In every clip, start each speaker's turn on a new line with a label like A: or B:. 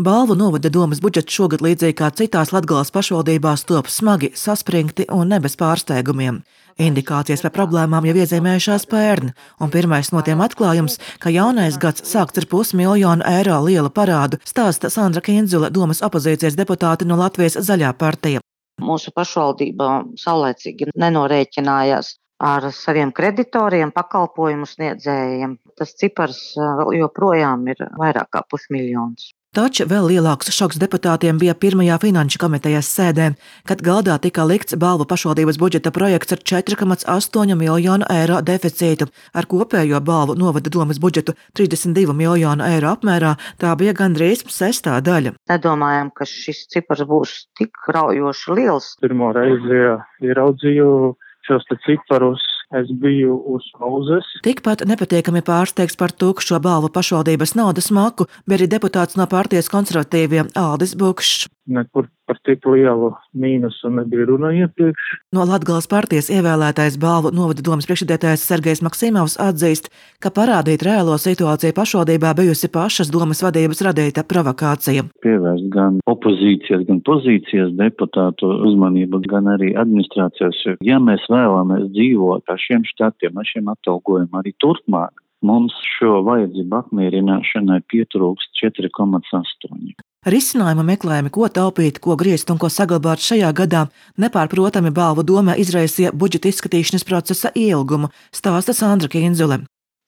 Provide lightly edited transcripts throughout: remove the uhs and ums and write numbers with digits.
A: Balvu novada domes budžets šogad līdzīgi kā citās Latgales pašvaldībās top smagi, saspringti un ne bez pārsteigumiem. Indikācijas par problēmām jau iezīmējušās pērn, un pirmais no tiem atklājums, ka jaunais gads sākts ar €500,000 lielu parādu, stāsta Sandra Kindzule, domes opozīcijas deputāte no Latvijas Zaļā partija.
B: Mūsu pašvaldība saulēcīgi nenorēķinājās ar saviem kreditoriem, pakalpojumu sniedzējiem. Tas cipars vēl joprojām ir vairāk kā $500,000.
A: Taču vēl lielāks šoks deputātiem bija pirmajā finanšu komitejas sēdē, kad galdā tika likts Balvu pašvaldības budžeta projekts ar €4,8 miljonu deficītu. Ar kopējo Balvu novada domes budžetu €32 miljonu apmērā tā bija gandrīz sestā daļa.
B: Nedomājam, ka šis cipars būs tik raujoši liels.
C: Pirmo reizi ieraudzīju šos ciparus. Es biju uz pauzes.
A: Tikpat nepatīkami pārsteigts par tukšo Balvu pašvaldības naudas maku bija arī deputāts no partijas konservatīviem Aldis Bukšs.
C: Nekur par tik lielu mīnusu nebija runa iepriekš.
A: No Latgales partijas ievēlētais Balvu novada domes priekšsēdētājs Sergejs Maksimovs atzīst, ka parādīt reālo situāciju pašvaldībā bijusi pašas domes vadības radīta provokācija.
D: Pievērst gan opozīcijas, gan pozīcijas deputātu uzmanību, gan arī administrācijas. Ja mēs vēlamies dzīvot ar šiem štatiem, ar šiem atalgojumiem arī turpmāk, mums šo vajadzību apmierināšanai pietrūkst 4,8.
A: Risinājuma meklējumi, ko taupīt, ko griezt un ko saglabāt šajā gadā, nepārprotami Balvu domē izraisīja budžeta izskatīšanas procesa ilgumu, stāsta Sandra Kindzule.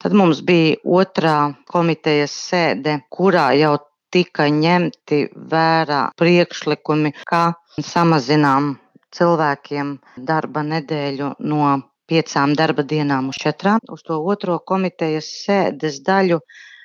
B: Tad mums bija otrā komitejas sēde, kurā jau tika ņemti vērā priekšlikumi, kā samazinām cilvēkiem darba nedēļu no 5 darba dienām uz 4. Uz to otro komitejas sēdes daļu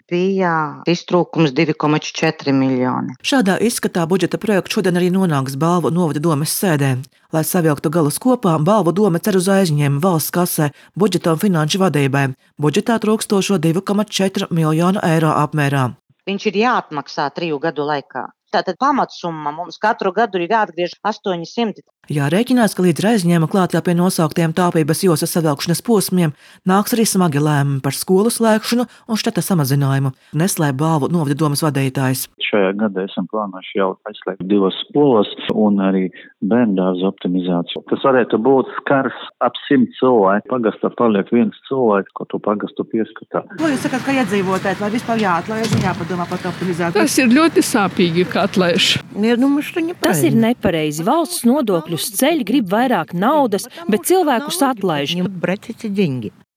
B: bija iztrūkums 2,4 miljoni.
A: Šādā izskatā budžeta projekts šodien arī nonāks Balvu novada domes sēdē. Lai savilktu galus kopā, Balvu dome cer uz aizņēmumu valsts kasē, budžeta un finanšu vadībai. Budžetā trūkstošo €2,4 miljonu apmērā.
B: Viņš ir jāatmaksā 3 gadu laikā. Tātad pamatsumma mums katru gadu ir jāatgriež 800.
A: Jārēķinās, ka līdz aizņēmuma klātā pie nosauktiem taupības josas savilkšanas posmiem nāks arī smagi lēmumi par skolu slēgšanu un štata samazinājumu, neslēp Balvu novada domes vadītājs.
D: Šajā gadā esam plānojuši jau aizslēgt 2 skolas un arī bērndārza optimizāciju. Tas varētu būt skars ap 100 cilvēku. Pagastā paliek 1 cilvēks, ko to pagastu pieskatā.
A: Ko jūs sakat, ka iedzīvotājs vai vispār jāatlaiž un jāpadomā par optimizāciju?
E: Tas ir ļoti sāpīgi, ka atlaiž.
F: Tas ir nepareizi. Valsts nodokļus ceļ, grib vairāk naudas, bet cilvēkus atlaiž.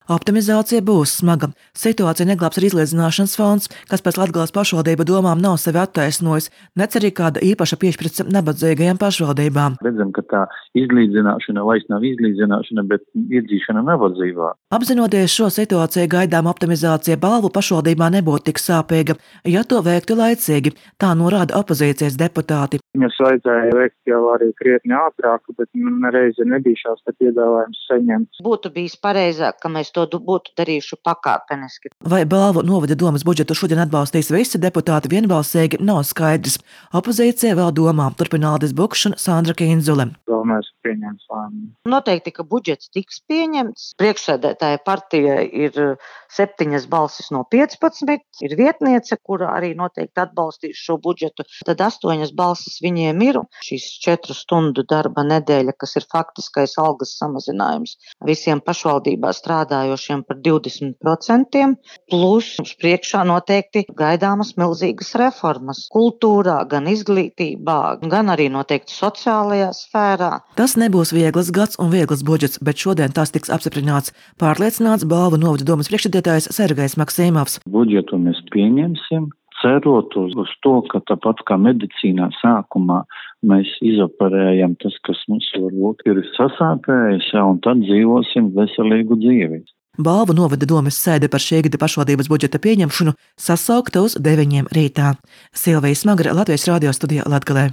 A: Optimizācija būs smaga. Situācija neglābs arī izlīdzināšanas fonds, kas pēc Latgales pašvaldību domām nav sevi attaisnojis, nec arī kāda īpaša piešķirts nabadzīgajām pašvaldībām.
D: Redzam, ka tā izlīdzināšana vairs nav izlīdzināšana, bet iedzīšana nabadzībā.
A: Apzinoties šo situāciju, gaidām optimizācija Balvu pašvaldībā nebūtu tik sāpīga, ja to veiktu laicīgi, tā norāda opozīcijas deputāti.
C: Viņas vajadzēja veikt jau arī krietni ātrāk, bet nereizi nebija šās piedāvājums saņemts.
B: Būtu bijis pareizāk, ka mēs to būtu darījuši pakāpeniski.
A: Vai Balvu novada domes budžetu šodien atbalstīs visi deputāti vienbalsīgi, nav skaidrs. Opozīcija vēl domā, turpina Aldis Bukšs un Sandra Kindzule.
C: Vēl mēs pieņems lēmumu.
B: Noteikti, ka budžets tiks pieņemts. Priekšsēdētāja partija ir 7 balsis no 15, ir vietniece, kura arī noteikti atbalstīs šo budžetu. Tad 8 balsis viņiem ir. Šīs 4 stundu darba nedēļa, kas ir faktiskais algas samazinājums visiem pašvaldībā strādājošiem par 20%, plus mums priekšā noteikti gaidāmas milzīgas reformas kultūrā, gan izglītībā, gan arī noteikti sociālajā sfērā.
A: Tas nebūs viegls gads un viegls budžets, bet šodien tas tiks apstiprināts, pārliecināts Balvu novada domes priekšsēdētājs Sergejs Maksimovs.
D: Budžetu mēs pieņemsim, cerot uz to, ka tāpat kā medicīnā sākumā mēs izoperējam tas, kas mums varbūt ir sasāpējis, un tad dzīvosim veselīgu dzīvi.
A: Balvu novada domes sēde par šī gada pašvaldības budžeta pieņemšanu sasaukta uz 9 rītā. Silvija Smagra, Latvijas radio studijā Latgalē.